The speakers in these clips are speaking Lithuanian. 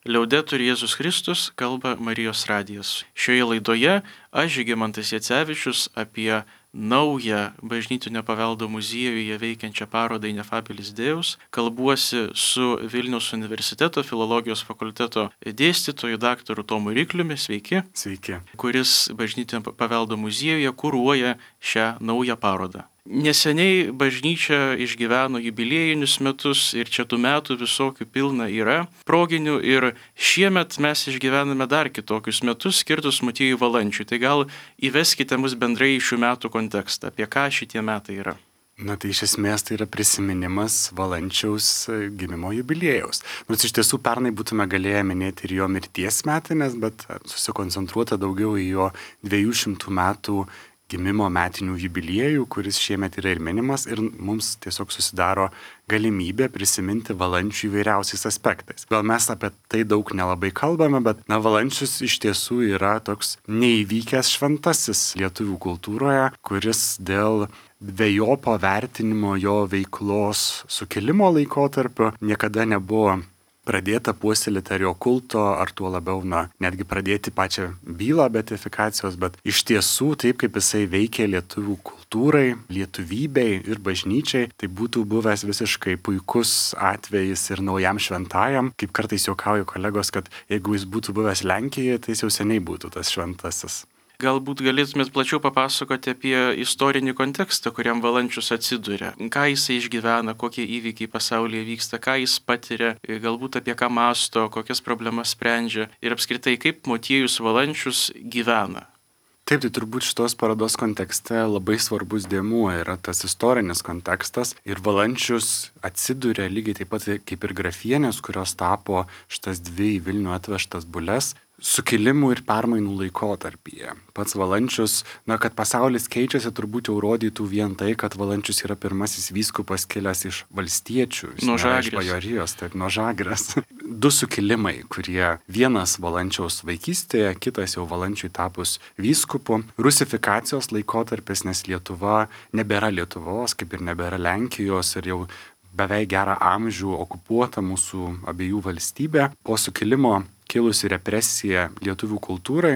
Liaudetur Jėzus Kristus, kalba Marijos radijas. Šioje laidoje aš, Žygimantas Jacevičius, apie naują bažnytinio paveldo muziejuje veikiančią parodą Ineffabilis Deus, kalbuosi su Vilniaus universiteto filologijos fakulteto dėstytoju daktaru Tomu Rikliumi, sveiki. Sveiki. Kuris bažnytinio paveldo muziejuje kuruoja šią naują parodą. Neseniai bažnyčia išgyveno jubiliejinius metus ir čia tų metų visokių pilna yra proginių ir šiemet mes išgyvename dar kitokius metus skirtus Motiejui Valančiui. Tai gal įveskite mus bendrai į šių metų kontekstą, apie ką šitie metai yra. Na tai iš esmės tai yra prisiminimas Valančiaus gimimo jubiliejaus. Nors iš tiesų pernai būtume galėję minėti ir jo mirties metinės, bet susikoncentruota daugiau į jo 200 metų gimimo metinių jubiliejų, kuris šiemet yra ir minimas ir mums tiesiog susidaro galimybė prisiminti Valančių įvairiausiais aspektais. Gal mes apie tai daug nelabai kalbame, bet Valančius iš tiesų yra toks neįvykęs šventasis lietuvių kultūroje, kuris dėl dvejopo vertinimo jo veiklos sukilimo laikotarpio niekada nebuvo pradėta puoselėti ar jo kulto, ar tuo labiau, netgi pradėti pačią bylą beatifikacijos, bet iš tiesų taip, kaip jisai veikė lietuvių kultūrai, lietuvybei ir bažnyčiai, tai būtų buvęs visiškai puikus atvejis ir naujam šventajam, kaip kartais juokauja kolegos, kad jeigu jis būtų buvęs Lenkijoje, tai jis jau seniai būtų tas šventasis. Galbūt galėtumėt plačiau papasakoti apie istorinį kontekstą, kuriam Valančius atsiduria. Ką jisai išgyvena, kokie įvykiai pasaulyje vyksta, ką jis patiria, galbūt apie ką mąsto, kokias problemas sprendžia ir apskritai kaip Motiejus Valančius gyvena. Taip, tai turbūt šitos parodos kontekste labai svarbus dėmuo yra tas istorinis kontekstas ir Valančius atsiduria lygiai taip pat kaip ir Grafienės, kurios tapo šitas dvi į Vilnių atvežtas bules, sukilimų ir permainų laikotarpyje. Pats Valančius, kad pasaulis keičiasi, turbūt jau rodytų vien tai, kad Valančius yra pirmasis vyskupas kilęs iš valstiečių, iš bajorijos, taip, nuo Žagrės. Du sukilimai, kurie vienas Valančiaus vaikystėje, kitas jau Valančiui tapus vyskupu. Rusifikacijos laikotarpis, nes Lietuva nebėra Lietuvos, kaip ir nebėra Lenkijos ir jau beveik gerą amžių okupuota mūsų abiejų valstybė. Po sukilimo kilusi represija lietuvių kultūrai,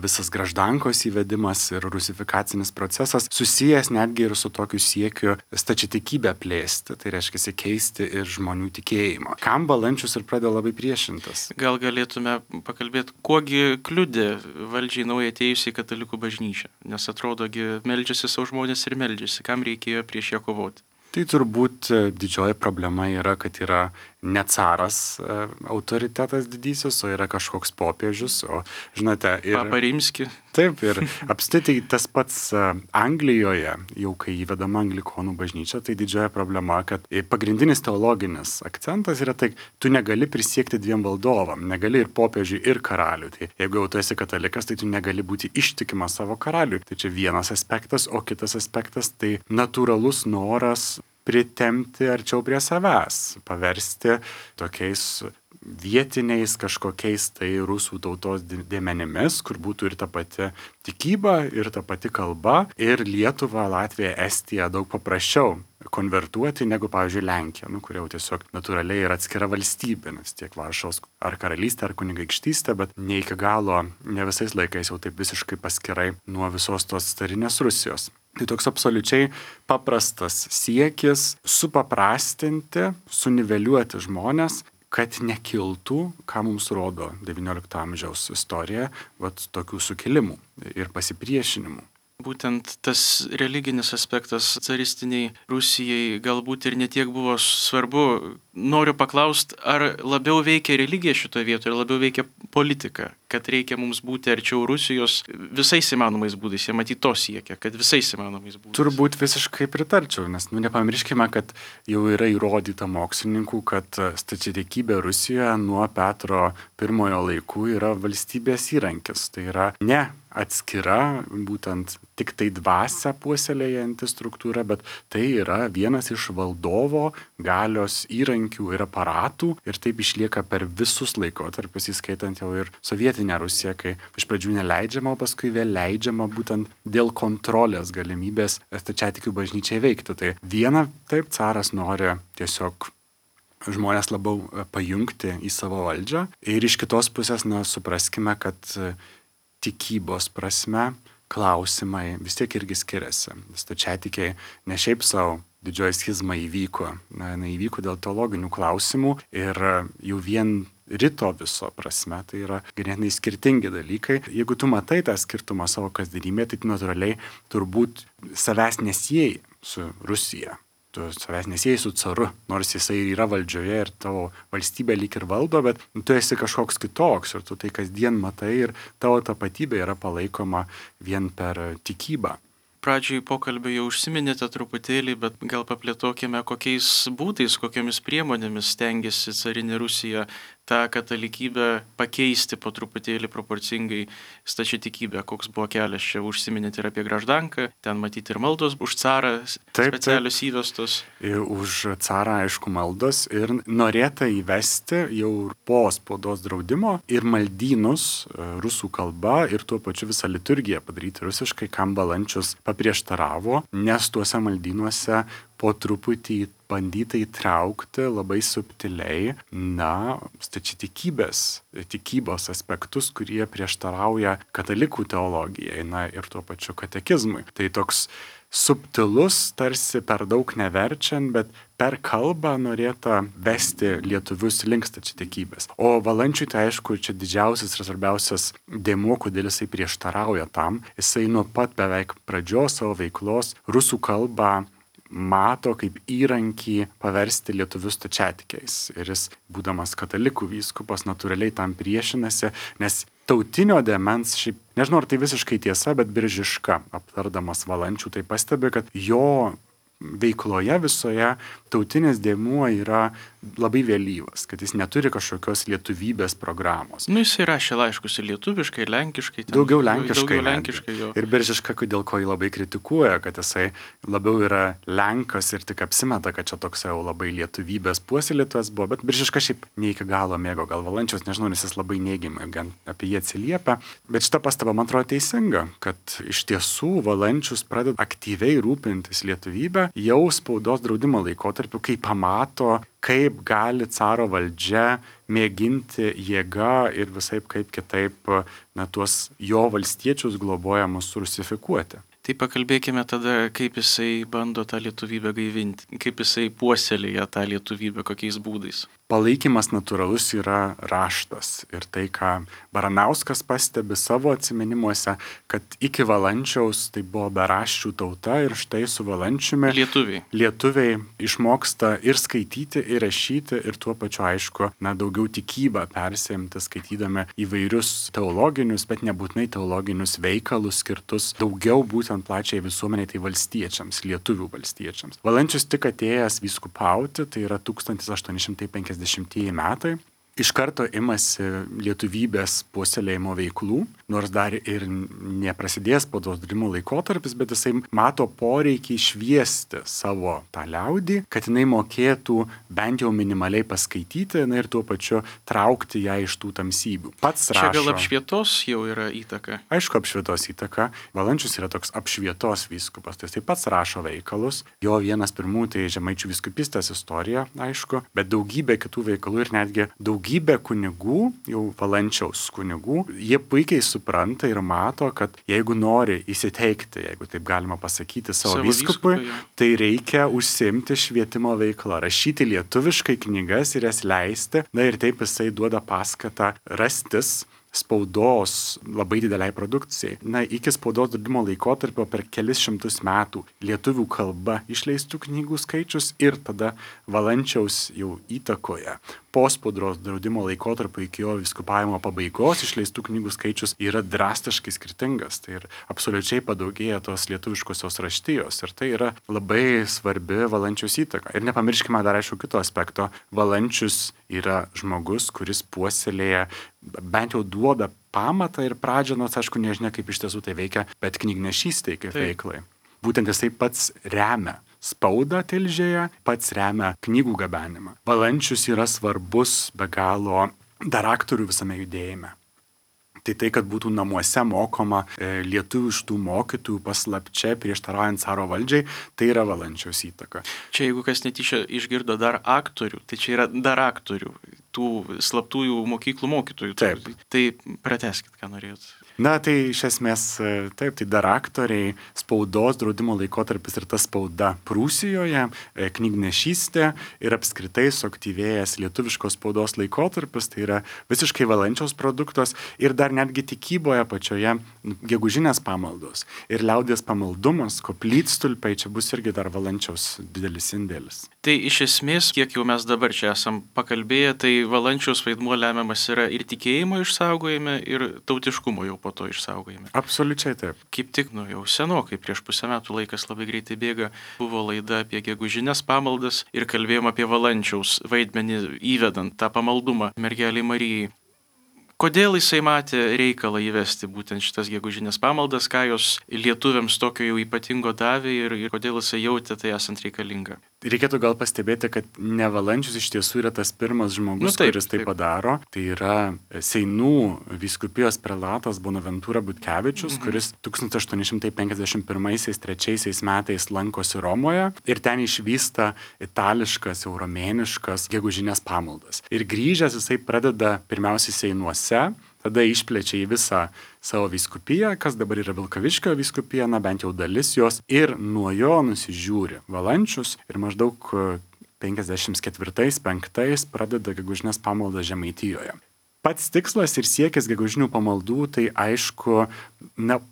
visas graždankos įvedimas ir rusifikacinis procesas susijęs netgi ir su tokiu siekiu stačiatikybę plėsti, tai reiškia keisti ir žmonių tikėjimą. Kam Valančius ir pradėjo labai priešintas? Gal galėtume pakalbėti, kuogi kliudė valdžiai naujai atėjusiai katalikų bažnyčią, nes atrodogi meldžiasi savo žmonės ir meldžiasi, kam reikėjo prieš ją kovoti? Tai turbūt didžioji problema yra, kad yra ne caras autoritetas didysis, o yra kažkoks popiežius, o žinote... Papa Rimski. Taip, ir apskritai tas pats Anglijoje, jau kai įvedama anglikonų bažnyčia, tai didžioji problema, kad pagrindinis teologinis akcentas yra tai, tu negali prisiekti dviem valdovam, negali ir popiežiui, ir karaliui. Tai jeigu jau tu esi katalikas, tai tu negali būti ištikimas savo karaliui. Tai čia vienas aspektas, o kitas aspektas tai natūralus noras pritempti arčiau prie savęs, paversti tokiais vietiniais kažkokiais tai rusų tautos dėmenimis, kur būtų ir ta pati tikyba, ir ta pati kalba, ir Lietuva, Latvija, Estija daug paprasčiau konvertuoti negu, pavyzdžiui, Lenkija, kur jau tiesiog natūraliai yra atskira valstybė, nes tiek Varšuvos ar karalystė, ar kunigaikštystė, bet ne iki galo, ne visais laikais jau taip visiškai paskirai nuo visos tos carinės Rusijos. Tai toks absoliučiai paprastas siekis supaprastinti, suniveliuoti žmonės, kad nekiltų, ką mums rodo XIX amžiaus istorija, tokių sukilimų ir pasipriešinimų. Būtent tas religinis aspektas caristiniai Rusijai galbūt ir netiek buvo svarbu. Noriu paklausti, ar labiau veikia religija šitoje vietoje, ar labiau veikia politika, kad reikia mums būti arčiau Rusijos visais įmanomais būdais. Jie matyt to siekia, kad visais įmanomais būdais. Turbūt visiškai pritarčiau, nes nepamirškime, kad jau yra įrodyta mokslininkų, kad stačiatikybė Rusijoje nuo Petro I laikų yra valstybės įrankis. Tai yra ne atskira, būtent tik tai dvasią puoselėjanti struktūra, bet tai yra vienas iš valdovo galios įrankių ir aparatų ir taip išlieka per visus laikotarpius, įskaitant jau ir sovietinę Rusiją, kai iš pradžių neleidžiama, o paskui vėl leidžiama būtent dėl kontrolės galimybės stačiatikių bažnyčiai veikti. Tai viena, taip, caras nori tiesiog žmonės labiau pajungti į savo valdžią. Ir iš kitos pusės, supraskime, kad tikybos prasme klausimai vis tiek irgi skiriasi. Stačiatikiai ne šiaip savo didžioji schizma įvyko. Įvyko dėl teologinių klausimų ir jau vien rito viso prasme tai yra ganėtinai skirtingi dalykai. Jeigu tu matai tą skirtumą savo kasdienybėje, tai natūraliai turbūt savęs nesieji su Rusija. Tu savęs nesieji su caru, nors jisai yra valdžioje ir tavo valstybė lyg ir valdo, bet tu esi kažkoks kitoks ir tu tai kasdien matai ir tavo tapatybė yra palaikoma vien per tikybą. Pradžiai pokalbio jau užsiminėte truputėlį, bet gal paplėtokime, kokiais būdais, kokiamis priemonėmis stengiasi carinė Rusija tą katalikybę pakeisti po truputėlį proporcingai stačiatikybę. Koks buvo kelias čia, užsiminėte ir apie Graždanką, ten matyti ir maldos už carą specialios įvestos. Už carą, aišku, maldos ir norėta įvesti jau po spaudos draudimo ir maldynus rusų kalba ir tuo pačiu visą liturgiją padaryti rusiškai, kam Valančius paprieštaravo, nes tuose maldynuose po truputį bandyta įtraukti labai subtiliai, tikybos aspektus, kurie prieštarauja katalikų teologijai, ir tuo pačiu katekizmui. Tai toks subtilus, tarsi per daug neverčiant, bet per kalbą norėta vesti lietuvius link stačiatikybės. O Valančiui tai aišku, čia didžiausias ir svarbiausias dėmuo, kodėl jisai prieštarauja tam. Jisai nuo pat beveik pradžios savo veiklos rusų kalbą mato kaip įrankį paversti lietuvius stačiatikiais. Ir jis, būdamas katalikų vyskupas, natūraliai tam priešinasi, nes tautinio dėmens, šiaip nežinau, ar tai visiškai tiesa, bet Biržiška, aptardamas Valančių, tai pastebi, kad jo veikloje visoje tautinis dėmuo yra labai vėlyvas, kad jis neturi kažkokios lietuvybės programos. Jis rašė laiškus ir lietuviškai, ir lenkiškai. Daugiau lenkiškai jo. Ir Biržiška, dėl ko jį labai kritikuoja, kad jisai labiau yra lenkas ir tik apsimeta, kad čia toks jau labai lietuvybės puoselėtojas buvo, bet Biržiška šiaip ne iki galo mėgo, gal Valančiaus, nežinau, nes jis labai neigiamai gan apie jį atsiliepia. Bet šita pastaba, man atrodo, teisinga, kad iš tiesų Valančius pradeda aktyviai rūpintis lietuvybę jau spaudos draudimo laikotarpiu, kai pamato, kaip gali caro valdžia mėginti jėga ir visaip kaip kitaip tuos jo valstiečius globojamus rusifikuoti. Tai pakalbėkime tada, kaip jisai bando tą lietuvybę gaivinti, kaip jisai puoselėja tą lietuvybę, kokiais būdais. Palaikymas natūralus yra raštas. Ir tai, ką Baranauskas pastebi savo atsiminimuose, kad iki Valančiaus tai buvo beraščių tauta ir štai su Valančiumi lietuviai išmoksta ir skaityti, ir rašyti, ir tuo pačiu aišku, daugiau tikybą persiimti, skaitydami įvairius teologinius, bet nebūtinai teologinius veikalus skirtus daugiau būtent plačiai visuomeniai, tai valstiečiams, lietuvių valstiečiams. Valančius tik atėjęs vyskupauti, tai yra 1850 metai, iš karto imasi lietuvybės puoselėjimo veiklų, nors dar ir neprasidėjęs spaudos draudimo laikotarpis, bet jisai mato poreikį šviesti savo tą liaudį, kad jinai mokėtų bent jau minimaliai paskaityti ir tuo pačiu traukti ją iš tų tamsybių. Pats rašo. Čia gal apšvietos jau yra įtaka? Aišku, apšvietos įtaka. Valančius yra toks apšvietos vyskupas, tai jis pats rašo veikalus. Jo vienas pirmųjų tai Žemaičių vyskupystės istorija, aišku, bet daugybė kitų veikalų ir netgi daugybė kunigų, jau Valančiaus kunigų, jie puikiai supranta ir mato, kad jeigu nori įsiteikti, jeigu taip galima pasakyti, savo vyskupui, tai reikia užsiimti švietimo veiklą, rašyti lietuviškai knygas ir jas leisti, ir taip jisai duoda paskatą rastis spaudos labai dideliai produkcijai. Iki spaudos draudimo laikotarpio per kelis šimtus metų lietuvių kalba išleistų knygų skaičius ir tada Valančiaus jau įtakoje po spaudos draudimo laikotarpio iki jo vyskupavimo pabaigos išleistų knygų skaičius yra drastiškai skirtingas. Tai ir absoliučiai padaugėja tos lietuviškosios raštijos ir tai yra labai svarbi Valančiaus įtaka. Ir nepamirškime dar aišku kito aspekto. Valančius yra žmogus, kuris puoselėja, bent jau duoda pamatą ir pradžią, nors aišku nežinia kaip iš tiesų tai veikia, bet knygnešystei kaip veiklai. Būtent jisai pats remia spaudą Tilžėje, pats remia knygų gabenimą. Valančius yra svarbus be galo dar aktorių visame judėjime. Tai, kad būtų namuose mokoma lietuviškų mokytojų paslapčia prieštaraujant caro valdžiai, tai yra Valančiaus įtaka. Čia jeigu kas netyčia išgirdo dar aktorių, tai čia yra dar aktorių, tų slaptųjų mokyklų mokytojų. Taip. Tai pratęskit, ką norėjot. Na, tai iš esmės, taip, tai dar aktoriai, spaudos draudimo laikotarpis ir ta spauda Prūsijoje, knygnešystė ir apskritai suaktyvėjęs lietuviškos spaudos laikotarpis, tai yra visiškai Valančiaus produktas ir dar netgi tikyboje pačioje gegužinės pamaldos ir liaudies pamaldumas, koplytstulpiai, čia bus irgi dar Valančiaus didelis indėlis. Tai iš esmės, kiek jau mes dabar čia esam pakalbėję, tai Valančiaus vaidmuo lemiamas yra ir tikėjimo išsaugojime, ir tautiškumo jau po to išsaugojime. Absoliučiai taip. Kaip tik, jau senokai, prieš pusę metų, laikas labai greitai bėga, buvo laida apie gegužinės pamaldas ir kalbėjom apie Valančiaus vaidmenį įvedant tą pamaldumą mergelei Marijai. Kodėl jisai matė reikalą įvesti būtent šitas gegužinės pamaldas, ką jos lietuviams tokio jau ypatingo davė ir kodėl jisai jautė tai esant reikalinga? Reikėtų gal pastebėti, kad ne Valančius iš tiesų yra tas pirmas žmogus, kuris tai padaro. Tai yra Seinų vyskupijos prelatas Bonaventūra Butkevičius, kuris 1851-3 metais lankosi Romoje ir ten išvysta itališkas, euromėniškas gegužinės pamaldas. Ir grįžęs jisai pradeda pirmiausiai Seinuose, tada išplečia į visą savo vyskupiją, kas dabar yra Vilkaviškio vyskupija, bent jau dalis jos, ir nuo jo nusižiūri Valančius ir maždaug 54-5 pradeda gegužinės pamaldą Žemaitijoje. Pats tikslas ir siekis gegužinių pamaldų, tai aišku,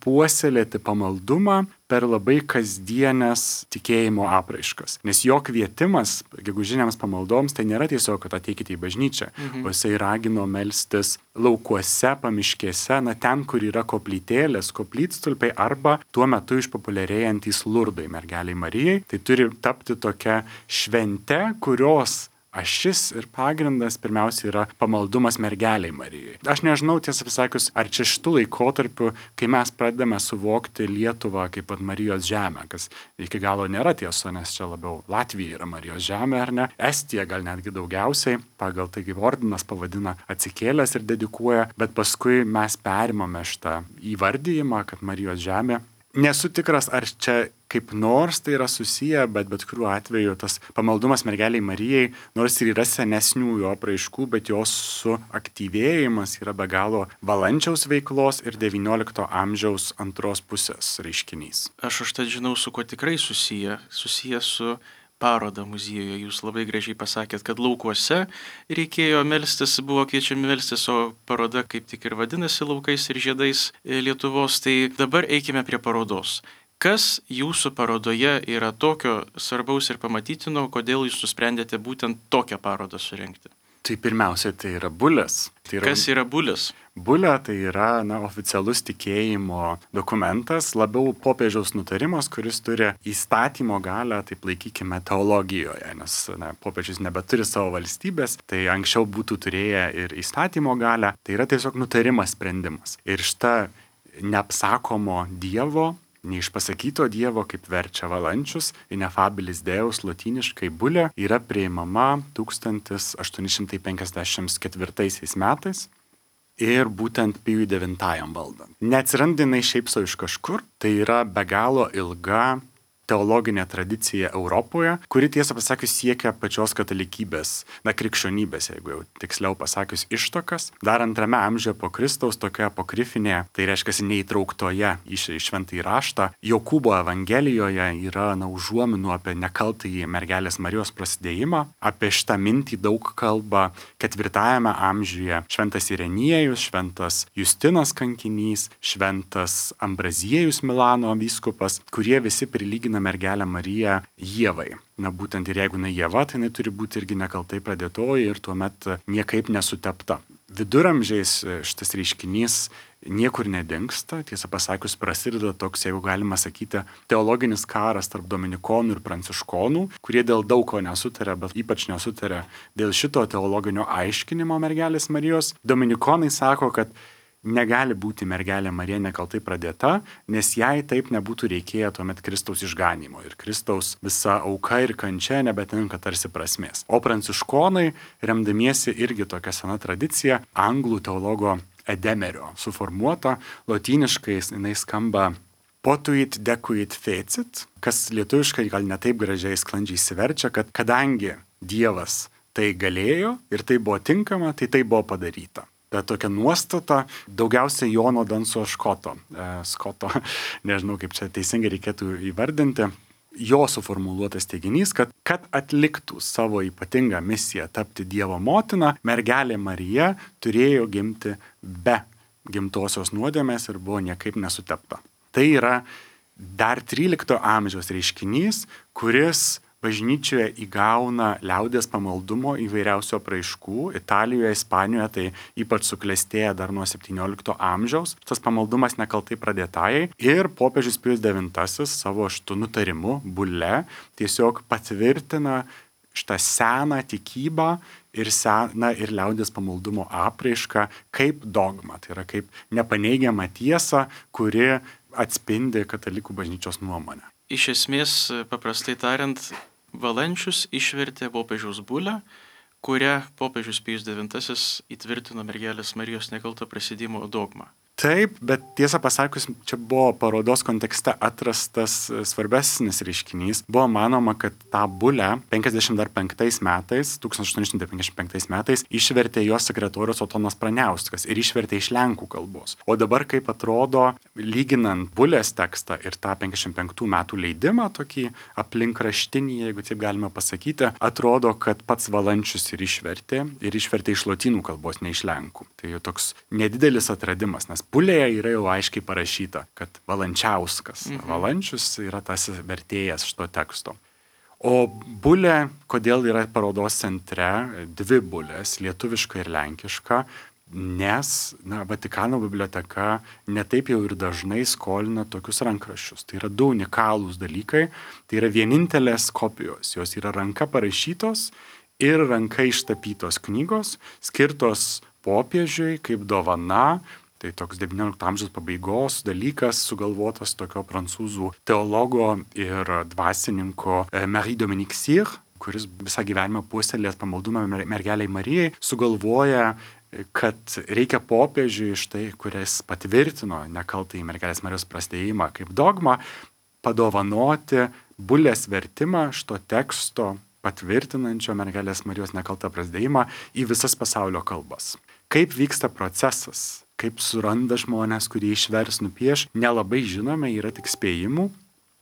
puoselėti pamaldumą per labai kasdienės tikėjimo apraiškas. Nes jo kvietimas gegužinėms pamaldoms tai nėra tiesiog, kad ateikite į bažnyčią, o jisai ragino melstis laukuose, pamiškėse, ten, kur yra koplytėlės, koplytstulpiai arba tuo metu išpopuliarėjantys Lurdai mergeliai Marijai. Tai turi tapti tokia švente, kurios ašis ir pagrindas pirmiausia yra pamaldumas mergeliai Marijai. Aš nežinau, tiesą pasakius, ar čia šitų laikotarpių, kai mes pradedame suvokti Lietuvą kaip pat Marijos žemę, kas iki galo nėra tiesa, nes čia labiau Latvija yra Marijos žemė, ar ne? Estija gal netgi daugiausiai, pagal tai kaip ordinas pavadina atsikėlęs ir dedikuoja, bet paskui mes perimame šitą įvardyjimą, kad Marijos žemė. Nesu tikras, ar čia kaip nors tai yra susiję, bet kuriuo atveju tas pamaldumas mergeliai Marijai, nors ir yra senesnių jo apraiškų, bet jos suaktyvėjimas yra be galo Valančiaus veiklos ir XIX amžiaus antros pusės reiškinys. Aš užtat žinau, su kuo tikrai susiję su parodą muziejuje. Jūs labai gražiai pasakėt, kad laukuose reikėjo melstis, buvo kviečiami melstis, o paroda kaip tik ir vadinasi Laukais ir žiedais Lietuvos. Tai dabar eikime prie parodos. Kas jūsų parodoje yra tokio svarbaus ir pamatytino, kodėl jūs nusprendėte būtent tokią parodą surengti? Tai pirmiausia, tai yra bulės. Kas yra bulės? Bulė tai yra oficialus tikėjimo dokumentas, labiau popiežiaus nutarimas, kuris turi įstatymo galią, taip laikykime, teologijoje, nes popiežius nebeturi savo valstybės, tai anksčiau būtų turėję ir įstatymo galią, tai yra tiesiog nutarimas, sprendimas. Ir šita neapsakomo Dievo, neišpasakyto Dievo, kaip verčia Valančius, ineffabilis Deus lotyniškai bulė, yra priimama 1854 metais. Ir būtent Pijui IX valdant. Neatsiranda jinai šiaip sau iš kažkur, tai yra be galo ilga teologinė tradicija Europoje, kuri tiesą pasakius siekia pačios katalikybės, krikščionybės, jeigu jau tiksliau pasakius ištakas. Dar 2 amžiuje po Kristaus tokioje apokrifinėje, tai reiškia neįtrauktoje į šventąjį raštą, Jokūbo evangelijoje yra užuominų apie nekaltąjį mergelės Marijos prasidėjimą. Apie šitą mintį daug kalba 4 amžiuje šventas Irenijus, šventas Justinas kankinys, šventas Ambraziejus Milano vyskupas, kurie visi prilygina mergelę Mariją Ievai. Būtent ir jeigu Ieva, tai jinai turi būti irgi nekaltai pradėtoji ir tuomet niekaip nesutepta. Viduramžiais šitas reiškinys niekur nedingsta, tiesą pasakius prasideda toks, jeigu galima sakyti, teologinis karas tarp dominikonų ir pranciškonų, kurie dėl daug ko nesutarė, bet ypač nesutarė dėl šito teologinio aiškinimo mergelės Marijos. Dominikonai sako, kad negali būti mergelė Marija nekaltai pradėta, nes jai taip nebūtų reikėję tuomet Kristaus išganymo ir Kristaus visa auka ir kančia nebetinka tarsi prasmės. O pranciškonai, remdamiesi irgi tokia sena tradicija, anglų teologo Edemerio suformuota, lotyniškai jinai skamba potuit decuit fecit, kas lietuviškai gal netaip gražiai sklandžiai įsiverčia, kad kadangi Dievas tai galėjo ir tai buvo tinkama, tai buvo padaryta. Ta tokia nuostata daugiausiai Jono Danso Skoto, nežinau kaip čia teisingai reikėtų įvardinti, jo suformuluotas teiginys, kad atliktų savo ypatingą misiją tapti Dievo motina, mergelė Marija turėjo gimti be gimtosios nuodėmės ir buvo niekaip nesutepta. Tai yra dar 13 amžiaus reiškinys, kuris bažnyčioje įgauna liaudies pamaldumo įvairiausių apraiškų. Italijoje, Ispanijoje tai ypač suklestėja dar nuo 17 amžiaus. Tas pamaldumas nekaltai pradėtajai. Ir popiežius Pijus IX savo šitų nutarimų bulle tiesiog patvirtina šitą seną tikybą ir seną ir liaudies pamaldumo apraišką kaip dogma. Tai yra kaip nepaneigiama tiesa, kuri atspindi katalikų bažnyčios nuomonę. Iš esmės, paprastai tariant, Valančius išvertė popiežiaus bulę, kurią popiežius Pijus IX įtvirtino mergelės Marijos nekalto prasidėjimo dogmą. Taip, bet tiesą pasakius, čia buvo parodos kontekste atrastas svarbesnis reiškinys. Buvo manoma, kad tą bulę 1855 metais išvertė jos sekretorius Otonas Praniauskas ir išvertė iš lenkų kalbos. O dabar, kaip atrodo, lyginant bulės tekstą ir tą 55 metų leidimą, tokį aplinkraštinį, jeigu taip galima pasakyti, atrodo, kad pats Valančius ir išvertė iš lotynų kalbos, ne iš lenkų. Tai jau toks nedidelis atradimas, nes bulėje yra jau aiškiai parašyta, kad Valančiauskas. Valančius yra tas vertėjas šito teksto. O bulė, kodėl yra parodos centre, dvi bulės, lietuviška ir lenkiška, nes Vatikano biblioteka netaip jau ir dažnai skolina tokius rankraščius. Tai yra du unikalūs dalykai, tai yra vienintelės kopijos, jos yra ranka parašytos ir ranka ištapytos knygos, skirtos popiežiui kaip dovana. Tai toks 19 amžiaus pabaigos dalykas sugalvotas tokio prancūzų teologo ir dvasininko Marie-Dominique Cyr, kuris visą gyvenimą puoselėjęs pamaldumą mergeliai Marijai, sugalvoja, kad reikia popiežiui štai, kuris patvirtino nekaltąjį mergelės Marijos prasidėjimą kaip dogmą, padovanoti bulės vertimą šito teksto patvirtinančio mergelės Marijos nekaltą prasidėjimą į visas pasaulio kalbas. Kaip vyksta procesas? Kaip suranda žmonės, kurie išvers nupieš, nelabai žinome, yra tik spėjimų,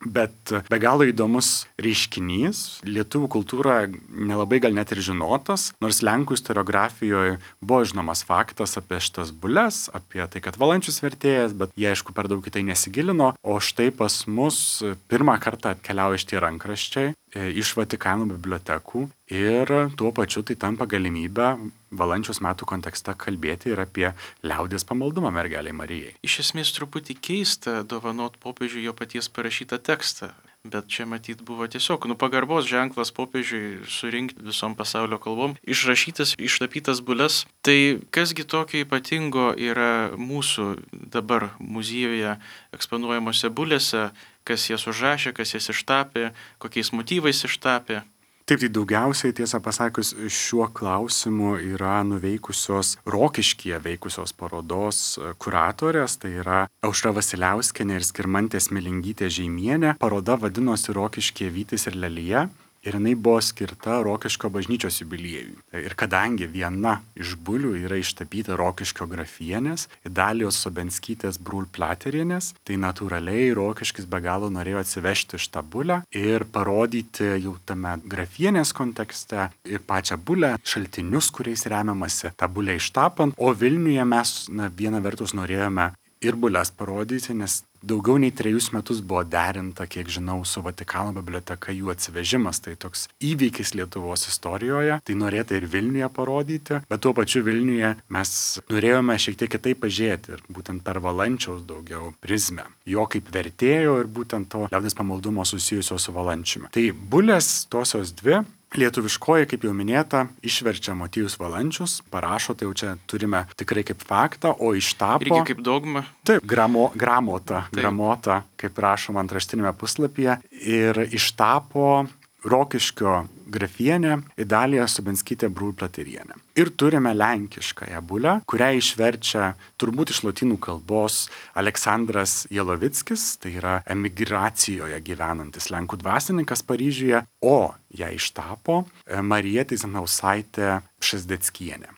bet be galo įdomus reiškinys. Lietuvių kultūra nelabai gal net ir žinotas, nors lenkų istoriografijoje buvo žinomas faktas apie šitas bulės, apie tai, kad Valančius vertėjas, bet jie aišku per daug į tai nesigilino, o štai pas mus pirmą kartą atkeliauja šitie rankraščiai iš Vatikano bibliotekų ir tuo pačiu tai tampa galimybę Valančiaus metų kontekste kalbėti ir apie liaudies pamaldumą mergelei Marijai. Iš esmės truputį keista dovanot popiežiui jo paties parašytą tekstą, bet čia matyt buvo tiesiog pagarbos ženklas popiežiui surinkti visom pasaulio kalbom, išrašytas, ištapytas bules. Tai kasgi tokio ypatingo yra mūsų dabar muziejuje eksponuojamose bulėse, kas jas užrašė, kas jas ištapė, kokiais motyvais ištapė. Taip, tai daugiausiai, tiesą pasakius, šiuo klausimu yra nuveikusios Rokiškyje veikusios parodos kuratorės, tai yra Aušra Vasiliauskienė ir Skirmantė Smilingytė Žeimienė. Paroda vadinosi Rokiškyje Vytis ir Lelija ir jinai buvo skirta Rokiškio bažnyčios jubiliejui. Ir kadangi viena iš bulių yra ištapyta Rokiškio grafienės, Idalijos Sobenskytės Brūl-Platerienės, tai natūraliai Rokiškis be galo norėjo atsivežti šitą bulę ir parodyti jau tame grafienės kontekste ir pačią bulę, šaltinius, kuriais remiamasi tą bulę ištapant, o Vilniuje mes viena vertus norėjome ir bulės parodyti, nes daugiau nei 3 metus buvo derinta, kiek žinau, su Vatikano biblioteka jų atsivežimas. Tai toks įvykis Lietuvos istorijoje. Tai norėta ir Vilniuje parodyti, bet tuo pačiu Vilniuje mes norėjome šiek tiek kitaip pažiūrėti ir būtent per Valančiaus daugiau prizmę. Jo kaip vertėjo ir būtent to liaudies pamaldumo susijusio su Valančiumi. Tai bulės tosios dvi. Lietuviškoji, kaip jau minėta, išverčia Motiejus Valančius, parašo, tai jau čia turime tikrai kaip faktą, o ištapo... Irgi kaip dogma. Taip, gramota, kaip rašoma antraštinėme puslapyje. Ir ištapo Rokiškio grafienė Idalija Subenskytė Brūplaterienė. Ir turime lenkiškąją bulę, kurią išverčia turbūt iš lotynų kalbos Aleksandras Jelovickis, tai yra emigracijoje gyvenantis lenkų dvasininkas Paryžiuje, o ją ištapo Marija Tyzenhausaitė Pšezdeckienė.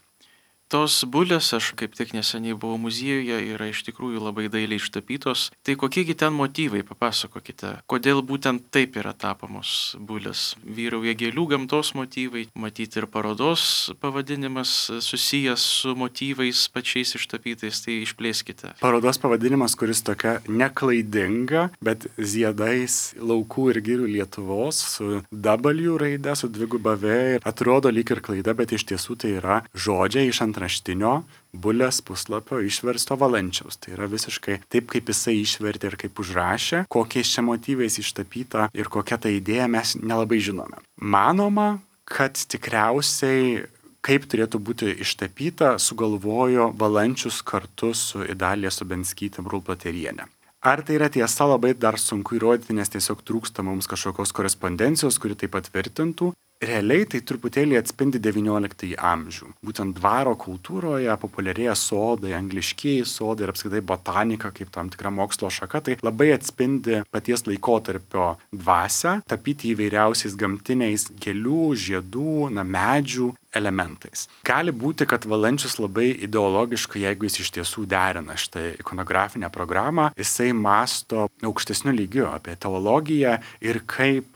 Tos bulės, aš kaip tik neseniai buvau muziejuje, yra iš tikrųjų labai dailiai ištapytos. Tai kokiegi ten motyvai, papasakokite. Kodėl būtent taip yra tapomos bulės? Vyrauja gėlių gamtos motyvai, matyti ir parodos pavadinimas susijęs su motyvais pačiais ištapytais, tai išplėskite. Parodos pavadinimas, kuris tokia neklaidinga, bet ziedais laukų ir girių Lietuvos su W raide, su dviguba V, atrodo lyg ir klaida, bet iš tiesų tai yra žodžiai iš raštinio bulės puslapio išversto Valančiaus. Tai yra visiškai taip, kaip jisai išvertė ir kaip užrašė, kokiais čia motyvais ištapyta ir kokia ta idėja mes nelabai žinome. Manoma, kad tikriausiai kaip turėtų būti ištapyta, sugalvojo Valančius kartu su Idalija Subenskytė Brūplaterienė. Ar tai yra tiesa, labai dar sunku įrodyti, nes tiesiog trūksta mums kažkokios korespondencijos, kuri tai patvirtintų. Realiai tai truputėlį atspindi XIX amžių. Būtent dvaro kultūroje populiarėja sodai, angliškieji sodai ir apskritai botanika kaip tam tikra mokslo šaka, tai labai atspindi paties laikotarpio dvasią, tapyti įvairiausiais gamtiniais gėlių, žiedų, medžių elementais. Gali būti, kad Valančius labai ideologiškai, jeigu jis iš tiesų derina šitą ikonografinę programą, jisai mąsto aukštesniu lygiu apie teologiją ir kaip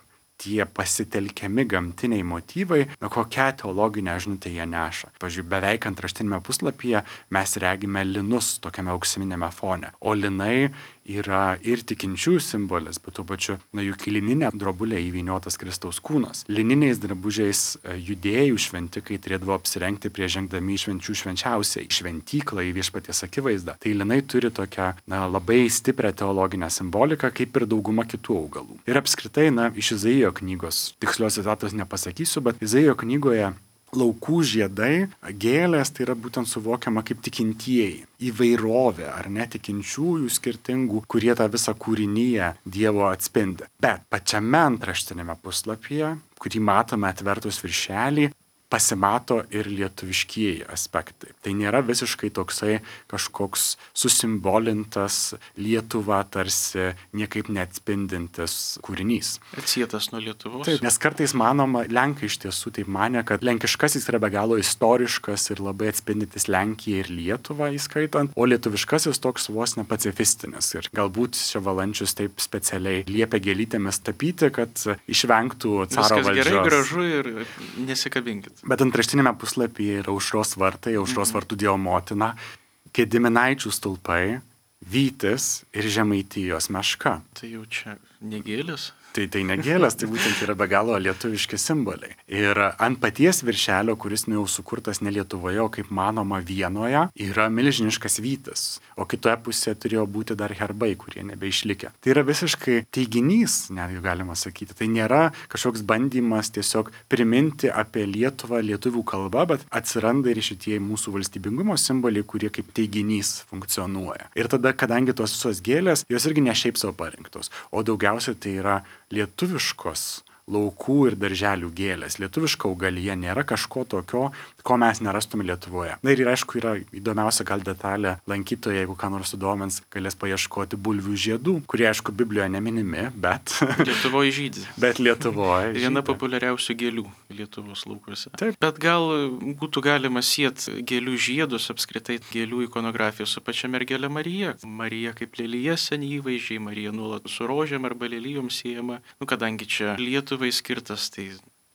tie pasitelkiami gamtiniai motyvai, kokią teologinę žinutę jie neša. Pavyzdžiui, beveik antraštinėme puslapyje mes regime linus tokiame auksinėme fone, o linai yra ir tikinčiųjų simbolis, bet tuo pačiu, juk į lininę drobulę įvyniotas Kristaus kūnas. Lininiais drabužiais judėjų šventikai turėdavo apsirengti prieš žengdami į švenčių švenčiausiai, šventyklą, į viešpaties akivaizdą. Tai linai turi tokią labai stiprią teologinę simboliką, kaip ir dauguma kitų augalų. Ir apskritai, iš Izaijo knygos, tikslios citatos nepasakysiu, bet Izaijo knygoje laukų žiedai, gėlės, tai yra būtent suvokiama kaip tikintieji, įvairovė ar netikinčiųjų skirtingų, kurie tą visą kūrinyje Dievo atspindi. Bet pačiame antraštinėme puslapyje, kurį matome atvertus viršelį, pasimato ir lietuviškieji aspektai. Tai nėra visiškai toksai kažkoks susimbolintas Lietuvą tarsi niekaip neatspindintis kūrinys. Atsietas nuo Lietuvos. Taip, nes kartais manoma, lenkai iš tiesų taip manė, kad lenkiškasis yra be galo istoriškas ir labai atspindintis Lenkiją ir Lietuvą įskaitant, o lietuviškasis toks vos ne pacifistinis. Ir galbūt čia Valančius taip specialiai liepia gėlytėmis tapyti, kad išvengtų caro valdžios. Viskas gerai, gražu ir nesikabinkit. Bet antraštinėme puslapyje yra Aušros vartai, Aušros vartų Dievo motina, Gediminaičių stulpai, Vytis ir Žemaitijos meška. Tai jau čia negėlės? Tai negėlės, tai būtent yra be galo lietuviški simboliai. Ir ant paties viršelio, kuris jau sukurtas ne Lietuvoje, o kaip manoma Vienoje, yra milžiniškas vytis, o kitoje pusėje turėjo būti dar herbai, kurie nebeišlikę. Tai yra visiškai teiginys, netgi galima sakyti. Tai nėra kažkoks bandymas tiesiog priminti apie Lietuvą lietuvių kalbą, bet atsiranda ir šitie mūsų valstybingumo simboliai, kurie kaip teiginys funkcionuoja. Ir tada, kadangi tos visos gėlės, jos irgi ne šiaip savo parinktos, o daugiausiai tai yra lietuviškos laukų ir darželių gėlės. Lietuviška augalija nėra kažko tokio, ko mes nerastume Lietuvoje. Na ir aišku, yra įdomiausia gal detalė lankytojai, jeigu ką nors sudomins, galės paieškoti bulvių žiedų, kurie aišku Biblijoje neminimi, bet Lietuvoje žydi. Bet Lietuvoje žydi. Viena populiariausių gėlių Lietuvos laukuose. Taip. Bet gal būtų galima sieti gėlių žiedus, apskritai gėlių ikonografiją su pačia mergelė Marija. Marija kaip lelyje seni įvaizdžiai, Marija nuolat su rožėm arba lelyjom siejama. Kadangi čia Lietuvai skirtas, tai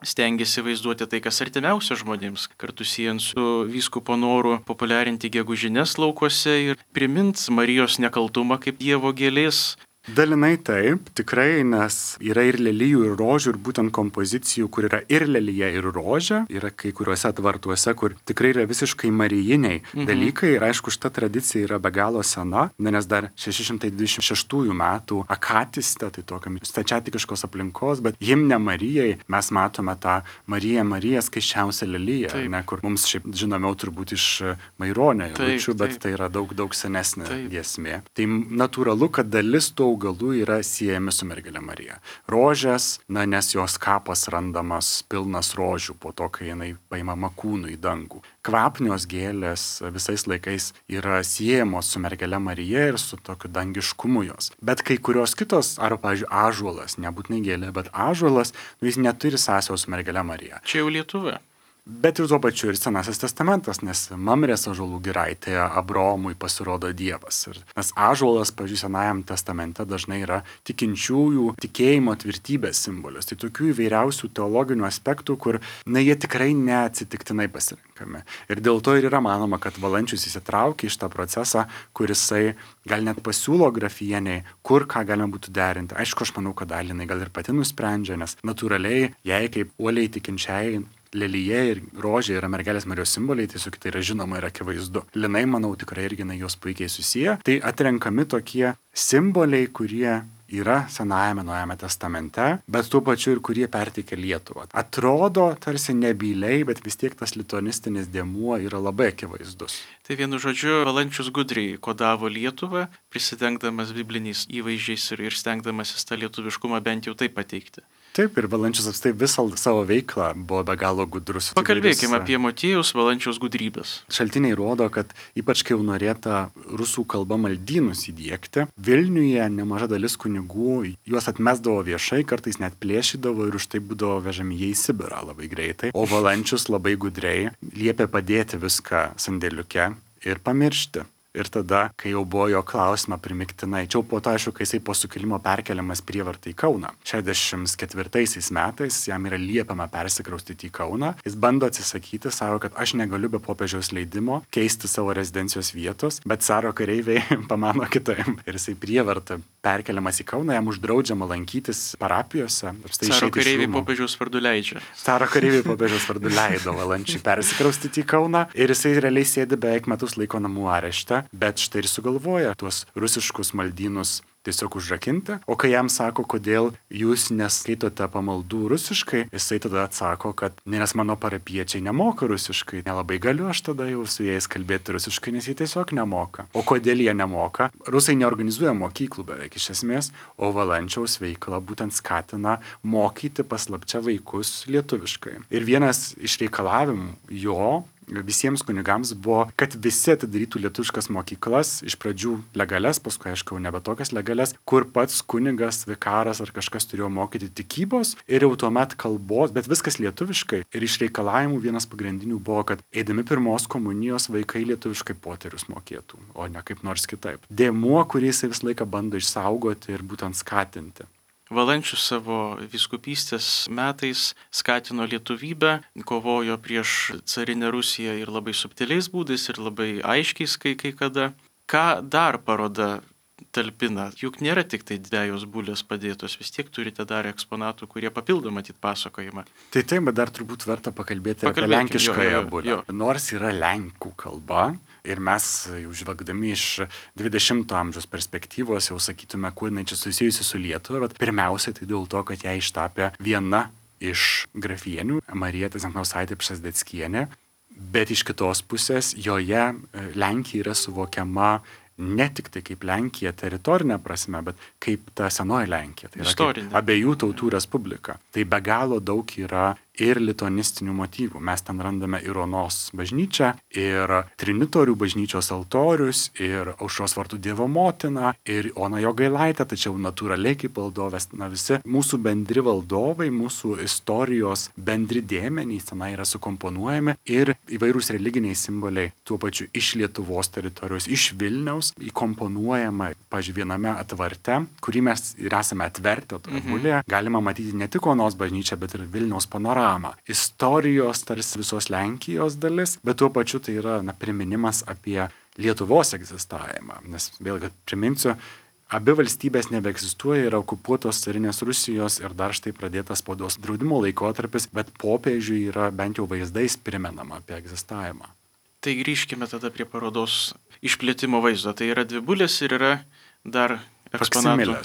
stengiasi vaizduoti tai, kas artimiausia žmonėms, kartu siejant su vyskupo noru populiarinti gegužines laukuose ir primint Marijos nekaltumą kaip Dievo gėlės. Dalinai taip, tikrai, nes yra ir lelijų, ir rožių, ir būtent kompozicijų, kur yra ir lelyje, ir rožė, yra kai kuriuose tvartuose, kur tikrai yra visiškai marijiniai dalykai, ir aišku, šita tradicija yra be galo sena, nes dar 626 metų akatiste, tai tokiam stačiatikiškos aplinkos, bet himne Marijai mes matome tą Mariją skaisčiausią lelyje, ne, kur mums šiaip žinomiau turbūt iš Maironio eilučių, bet tai yra daug senesnė giesmė. Tai natūralu, kad dalis tų augalų yra siejami su mergele Marija. Rožės, nes jos kapas randamas pilnas rožių po to, kai jinai paimama kūnu į dangų. Kvapnios gėlės visais laikais yra siejamos su mergele Marija ir su tokiu dangiškumu jos. Bet kai kurios kitos, arba, pavyzdžiui, ąžuolas, nebūtinai gėlė, bet ąžuolas, jis neturi sąsajos su mergele Marija. Čia jau Lietuva. Bet ir tuo pačiu ir Senasis testamentas, nes Mamrės ąžuolų giraitėje Abraomui pasirodo Dievas. Nes ąžuolas, pavyzdžiui, Senajam testamente dažnai yra tikinčiųjų tikėjimo tvirtybės simbolis. Tai tokių įvairiausių teologinių aspektų, kur jie tikrai neatsitiktinai pasirinkami. Ir dėl to ir yra manoma, kad Valančius įsitraukia į šitą procesą, kur jisai gal net pasiūlo grafieniai, kur ką galima būtų derinti. Aišku, aš manau, kad dalį jinai gal ir pati nusprendžia, nes natūraliai jai kaip uoliai tikinčiai lelyje ir rožė yra mergelės Marijos simboliai, tiesiog tai yra žinoma ir akivaizdu. Linai, manau, tikrai irgi jos puikiai susiję. Tai atrenkami tokie simboliai, kurie yra Senajame Naujajame testamente, bet tuo pačiu ir kurie perteikia Lietuvą. Atrodo tarsi nebyliai, bet vis tiek tas lituanistinis dėmuo yra labai akivaizdus. Tai vienu žodžiu, Valančius gudriai kodavo Lietuvą, prisidengdamas bibliniais įvaizdžiais ir stengdamasis tą lietuviškumą bent jau taip pateikti. Taip, ir Valančius apstai visą savo veiklą buvo be galo gudrus. Pakalbėkime apie motiejaus Valančiaus gudrybės. Šaltiniai rodo, kad ypač kai jau norėta rusų kalba maldynus įdiegti, Vilniuje nemaža dalis kunigų juos atmesdavo viešai, kartais net plėšydavo ir už tai būdavo vežami jie į Sibirą labai greitai. O Valančius labai gudriai liepė padėti viską sandėliuke ir pamiršti. Ir tada, kai jau buvo jo klausimą primiktinai, čia po to, aišku, kai jisai po sukilimo perkeliamas prievartai į Kauną. 64 metais jam yra liepiama persikraustyti į Kauną. Jis bando atsisakyti, sako, kad aš negaliu be popiežiaus leidimo keisti savo rezidencijos vietos, bet caro kareiviai pamano kitaip. Ir jisai prievarta perkeliamas į Kauną, jam uždraudžiama lankytis parapijose. Caro kareiviai popiežiaus vardu leidžia. Caro kareiviai popiežiaus vardu leido Valančiui persikraustyti į Kauną ir jisai realiai sėdi beveik metus laiko namų arešte. Bet štai ir sugalvoja tuos rusiškus maldynus tiesiog užrakinti. O kai jam sako, kodėl jūs neskaitote pamaldų rusiškai, jisai tada atsako, kad nes mano parapiečiai nemoka rusiškai. Nelabai galiu aš tada jau su jais kalbėti rusiškai, nes jie tiesiog nemoka. O kodėl jie nemoka? Rusai neorganizuoja mokyklų beveik iš esmės, o Valančiaus veikla būtent skatina mokyti paslapčia vaikus lietuviškai. Ir vienas iš reikalavimų jo visiems kunigams buvo, kad visi atidarytų lietuviškas mokyklas, iš pradžių legalias, paskui aišku nebe tokias legalias, kur pats kunigas, vikaras ar kažkas turėjo mokyti tikybos ir jau tuomet kalbos, bet viskas lietuviškai. Ir iš reikalavimų vienas pagrindinių buvo, kad eidami pirmos komunijos vaikai lietuviškai poterius mokėtų, o ne kaip nors kitaip. Dėmuo, kurį jis visą laiką bando išsaugoti ir būtent skatinti. Valančius savo vyskupystės metais skatino lietuvybę, kovojo prieš carinę Rusiją ir labai subtiliais būdais ir labai aiškiais kai kada. Ką dar paroda talpina? Juk nėra tik tai dvejos bulės padėtos, vis tiek turite dar eksponatų, kurie papildo matyt pasakojimą. Tai taip, bet dar turbūt verta pakalbėti apie lenkiškąją bulę. Nors yra lenkų kalba, ir mes jau žvelgdami iš 20-ojo amžiaus perspektyvos jau sakytume, kur jinai čia susijusi su Lietuva, bet pirmiausia tai dėl to, kad ją ištapė viena iš grafienių, Marija Zemkauskaitė Pšezdeckienė, bet iš kitos pusės joje Lenkija yra suvokiama ne tik tai kaip Lenkija teritorinė prasme, bet kaip ta senoji Lenkija, tai yra abiejų tautų respublika. Tai be galo daug yra ir lituanistinių motyvų. Mes ten randame ir Onos bažnyčią, ir Trinitorių bažnyčios altorius, ir Aušros vartų Dievo motiną, ir Ona Jogailaitė, tačiau natūraliai kaip valdovės, visi mūsų bendri valdovai, mūsų istorijos bendri dėmenys tenai yra sukomponuojami ir įvairūs religiniai simboliai tuo pačiu iš Lietuvos teritorijos, iš Vilniaus įkomponuojama, pavyzdžiui, viename atvarte, kurį mes ir esame atvertę toje bulėje, galima matyti ne tik Onos bažnyčią, bet ir Vilniaus panoramą. Istorijos tarsi visos Lenkijos dalis, bet tuo pačiu tai yra priminimas apie Lietuvos egzistavimą. Nes vėlgi priminsiu, abi valstybės nebeegzistuoja, yra okupuotos carinės Rusijos ir dar štai pradėtas spaudos draudimo laikotarpis, bet popiežiui yra bent jau vaizdais primenama apie egzistavimą. Tai grįžkime tada prie parodos išplėtimo vaizdo. Tai yra dvi bulės ir yra dar eksponatų.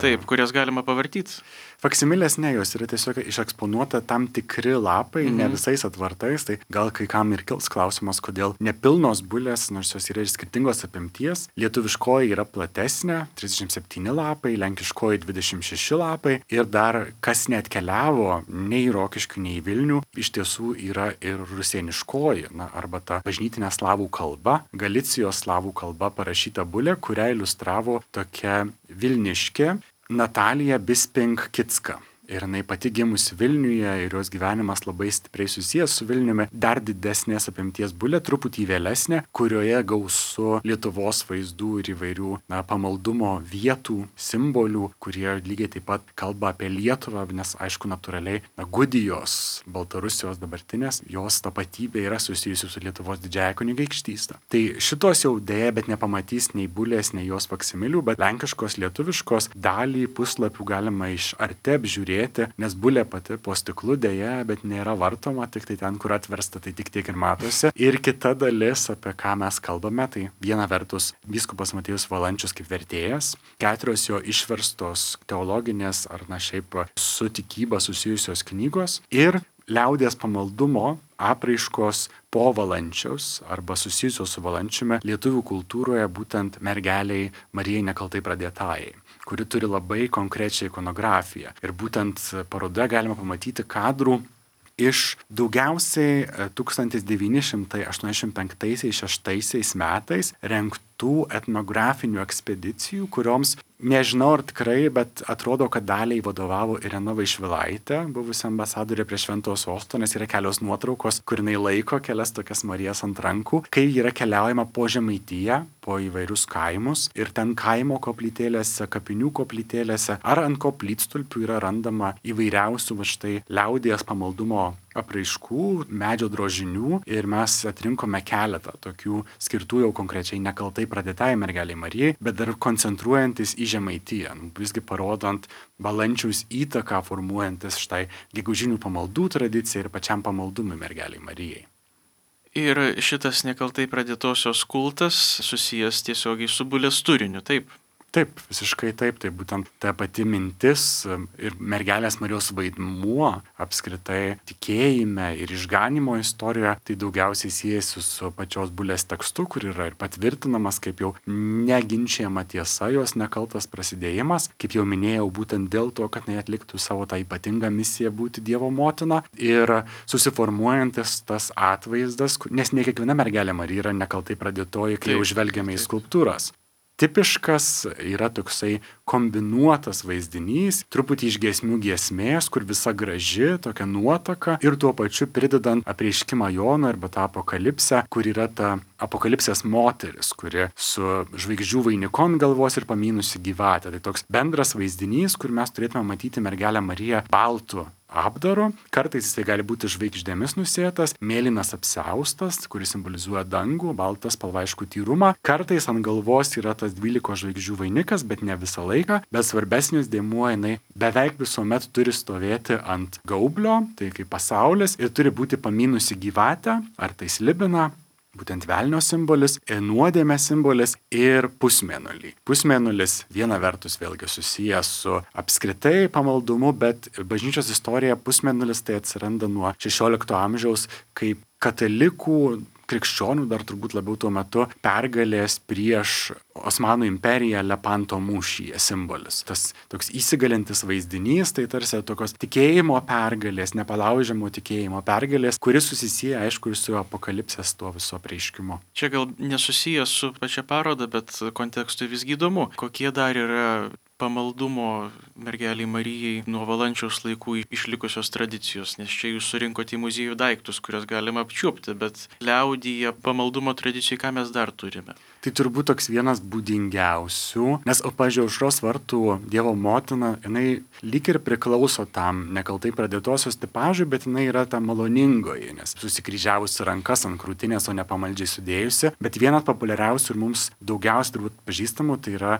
Taip, kurias galima pavartyti. Faksimilės ne, jos yra tiesiog išeksponuota tam tikri lapai, ne visais atvartais, tai gal kai kam ir kils klausimas, kodėl nepilnos bulės, nors jos yra ir skirtingos apimties. Lietuviškoji yra platesnė, 37 lapai, lenkiškoji 26 lapai ir dar kas neatkeliavo nei į Rokiškių, nei į Vilnių, iš tiesų yra ir rusėniškoji, arba ta bažnytinė slavų kalba, Galicijos slavų kalba parašyta bulė, kurią iliustravo tokia vilniškė Natalija Bisping-Kitska. Ir jinai pati gimusi Vilniuje ir jos gyvenimas labai stipriai susijęs su Vilniumi. Dar didesnės apimties bulė, truputį vėlesnė, kurioje gausu Lietuvos vaizdų ir įvairių pamaldumo vietų, simbolių, kurie lygiai taip pat kalba apie Lietuvą, nes aišku, natūraliai Gudijos, Baltarusijos dabartinės, jos tapatybė yra susijusi su Lietuvos didžiąja kunigaikštystė. Tai šitos jau dėja, bet nepamatys nei bulės, nei jos faksimilių, bet lenkiškos, lietuviškos dalį puslapių galima iš arti apžiūrėti, nes bulė pati po stiklu dėja, bet nėra vartoma, tik tai ten, kur atversta, tai tik tiek ir matosi. Ir kita dalis, apie ką mes kalbame, tai viena vertus vyskupas Motiejus Valančius kaip vertėjas, 4 jo išverstos teologinės ar šiaip su tikyba susijusios knygos ir liaudies pamaldumo apraiškos po Valančiaus arba susijusios su Valančiumi lietuvių kultūroje būtent mergeliai Marijai nekaltai pradėtajai, kuri turi labai konkrečią ikonografiją. Ir būtent parodoje galima pamatyti kadrų iš daugiausiai 1985-86 metais rengtų etnografinių ekspedicijų, kurioms nežinau ar tikrai, bet atrodo, kad daliai vadovavo Irena Vaišvilaitė, buvusi ambasadorė prie Šventojo Sosto, nes yra kelios nuotraukos, kur jinai laiko kelias tokias Marijas ant rankų, kai yra keliaujama po Žemaitiją, po įvairius kaimus ir ten kaimo koplytėlėse, kapinių koplytėlėse ar ant koplytstulpių yra randama įvairiausių štai liaudies pamaldumo apraiškų, medžio drožinių ir mes atrinkome keletą tokių skirtų jau konkrečiai nekaltai pradėtai mergeliai Marijai, bet dar koncentruojantis į Žemaitiją, visgi parodant Valančiaus įtaką formuojantis štai gegužinių pamaldų tradiciją ir pačiam pamaldumui mergeliai Marijai. Ir šitas nekaltai pradėtosios kultas susijęs tiesiogiai su bulės turiniu, taip? Taip, visiškai taip, tai būtent ta pati mintis ir mergelės Marijos vaidmuo apskritai tikėjime ir išganimo istorijoje, tai daugiausiai siejasi su pačios bulės tekstu, kur yra ir patvirtinamas kaip jau neginčiama tiesa, jos nekaltas prasidėjimas, kaip jau minėjau, būtent dėl to, kad jis atliktų savo tą ypatingą misiją būti Dievo motina ir susiformuojantis tas atvaizdas, nes ne kiekviena mergelė Marija yra nekaltai pradėtoji, kai jau žvelgiame į skulptūras. Tipiškas yra toksai kombinuotas vaizdinys, truputį iš giesmių giesmės, kur visa graži, tokia nuotaka ir tuo pačiu pridedant apreiškimą Jono arba tą apokalipsę, kur yra ta apokalipsės moteris, kuri su žvaigždžių vainikon galvos ir pamynusi gyvatę. Tai toks bendras vaizdinys, kur mes turėtume matyti mergelę Mariją baltu apdaru. Kartais jisai gali būti žvaigždėmis nusėtas, mėlynas apsiaustas, kuris simbolizuoja dangų, baltas spalva aišku tyrumą. Kartais ant galvos yra tas 12 žvaigždžių vainikas, bet ne visą laiką. Bet svarbesnis dėmuo jinai beveik visuomet turi stovėti ant gaublio, tai kaip pasaulis, ir turi būti pamynusi gyvatę, ar tai slibina, būtent velnio simbolis, nuodėmės simbolis ir pusmėnulį. Pusmėnulis viena vertus vėlgi susijęs su apskritai pamaldumu, bet bažnyčios istorija pusmėnulis tai atsiranda nuo 16 amžiaus kaip katalikų, krikščionių dar turbūt labiau tuo metu pergalės prieš Osmanų imperiją Lepanto mūšyje simbolis. Tas toks įsigalintis vaizdinys, tai tarsi tokios tikėjimo pergalės, nepalaužiamo tikėjimo pergalės, kuris susisieja aišku ir su apokalipsės tuo viso apreiškimu. Čia gal nesusijęs su pačia paroda, bet kontekstui visgi įdomu, kokie dar yra pamaldumo mergeliai Marijai nuo Valančiaus laikų išlikusios tradicijos, nes čia jūs surinkote į muziejų daiktus, kuriuos galima apčiuopti, bet liaudyje pamaldumo tradicijai ką mes dar turime? Tai turbūt toks vienas būdingiausių, nes, pavyzdžiui, Aušros vartų Dievo motina, jinai lyg ir priklauso tam nekaltai pradėtosios tipažui, bet jinai yra ta maloningoji, nes susikryžiavusi rankas ant krūtinės, o ne pamaldžiai sudėjusi. Bet vienas populiariausių ir mums daugiausiai turbūt pažįstamų, tai yra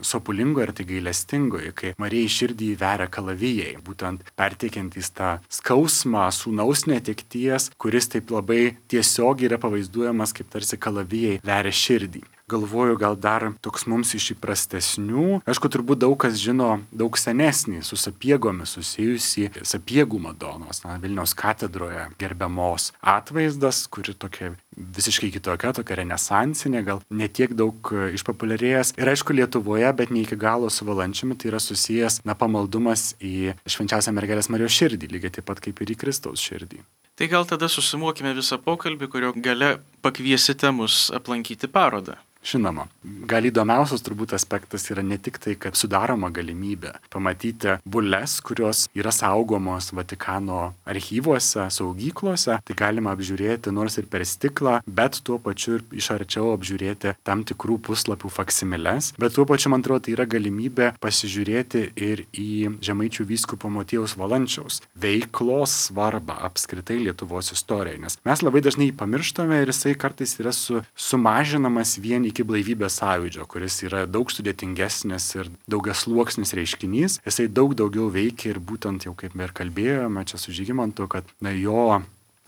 sopulingoji ir tai gailestingoji, kai Marijai širdį veria kalavijai, būtent perteikiantys tą skausmą sūnaus netekties, kuris taip labai tiesiogiai yra pavaizduojamas kaip tarsi kalavijai veria širdį. galvoju, gal dar toks mums iš įprastesnių. Aišku, turbūt daug kas žino daug senesnį su sapiegomis susijusi Sapiegų Madonos, Vilniaus katedroje gerbiamos atvaizdas, kuri tokia visiškai kitokia, tokia renesansinė, gal netiek daug išpopuliarėjęs. Ir aišku, Lietuvoje, bet ne iki galo su Valančiumi, tai yra susijęs pamaldumas į Švenčiausią Mergelės Marijos širdį, lygiai taip pat kaip ir į Kristaus širdį. Tai gal tada susumuokime visą pokalbį, kurio gale pakviesite mus aplankyti parodą. Žinoma, gal įdomiausias turbūt aspektas yra ne tik tai, kad sudaroma galimybė pamatyti bules, kurios yra saugomos Vatikano archyvuose, saugyklose, tai galima apžiūrėti nors ir per stiklą, bet tuo pačiu ir iš arčiau apžiūrėti tam tikrų puslapių faksimiles, bet tuo pačiu, man atrodo, tai yra galimybė pasižiūrėti ir į Žemaičių vyskupo Motiejaus Valančiaus veiklos svarbą apskritai Lietuvos istorijai, nes mes labai dažnai jį pamirštame ir jisai kartais yra sumažinamas vien iki blaivybės sąjūdžio, kuris yra daug sudėtingesnis ir daugiasluoksnis reiškinys. Jisai daug daugiau veikia ir būtent jau kaip ir kalbėjome čia su Žygimantu, kad jo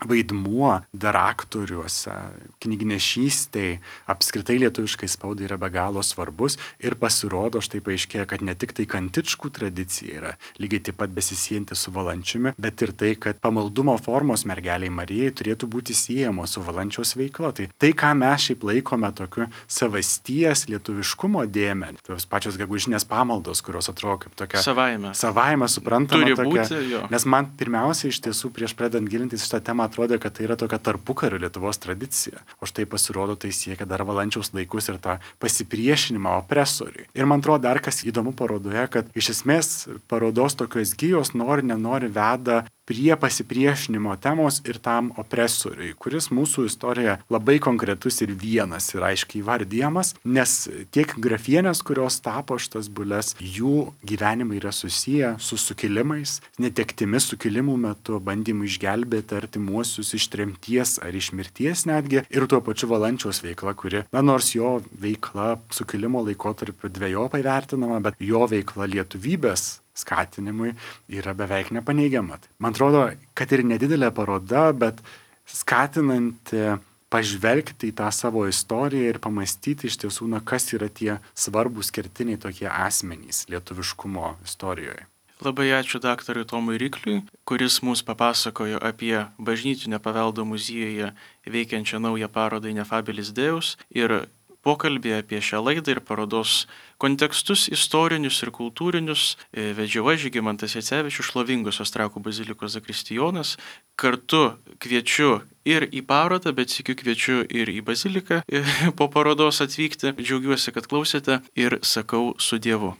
vaidmuo dar aktoriuose, knygnešystėj, apskritai lietuviškai spaudai yra be galo svarbus ir pasirodo, štai paaiškėja, kad ne tik tai Kantičkų tradicija yra lygiai taip pat besisiejantį su Valančiumi, bet ir tai, kad pamaldumo formos mergeliai Marijai turėtų būti siejamos su Valančiaus veikla. Tai ką mes šiaip laikome tokiu savasties lietuviškumo dėme, tos pačios gegužinės pamaldos, kurios atrodo kaip tokia savaime suprantama turi tokia, būti, jo. Nes man pirmiausia iš tiesų prieš pradedant gilintis šitą temą atrodė, kad tai yra tokia tarpukario Lietuvos tradicija. O štai pasirodo, tai siekia dar Valančiaus laikus ir tą pasipriešinimą opresoriui. Ir man atrodo dar kas įdomu parodoje, kad iš esmės parodos tokios gijos nori veda prie pasipriešinimo temos ir tam opresoriui, kuris mūsų istorijoje labai konkretus ir vienas ir aiškiai įvardyjamas, nes tiek grafienės, kurios tapo šitas bules, jų gyvenimai yra susiję su sukilimais, netektimis sukilimų metu, bandymu išgelbėti artimuosius iš tremties ar iš mirties netgi, ir tuo pačiu Valančiaus veikla, kuri, nors jo veikla sukilimo laikotarpiu dvejopai vertinama, bet jo veikla lietuvybės skatinimui yra beveik nepaneigiama. Man atrodo, kad ir nedidelė paroda, bet skatinanti pažvelgti į tą savo istoriją ir pamastyti iš tiesų, kas yra tie svarbus kertiniai tokie asmenys lietuviškumo istorijoje. Labai ačiū daktarui Tomui Rykliui, kuris mums papasakojo apie bažnytinio paveldo muziejuje veikiančią naują parodą Ineffabilis Deus ir pokalbį apie šią laidą ir parodos kontekstus istorinius ir kultūrinius vedžiau aš, Žygimantas Jacevičius, šlovingosios Trakų bazilikos zakristijonas. Kartu kviečiu ir į parodą, bet sykiu kviečiu ir į baziliką po parodos atvykti. Džiaugiuosi, kad klausėte ir sakau su Dievu.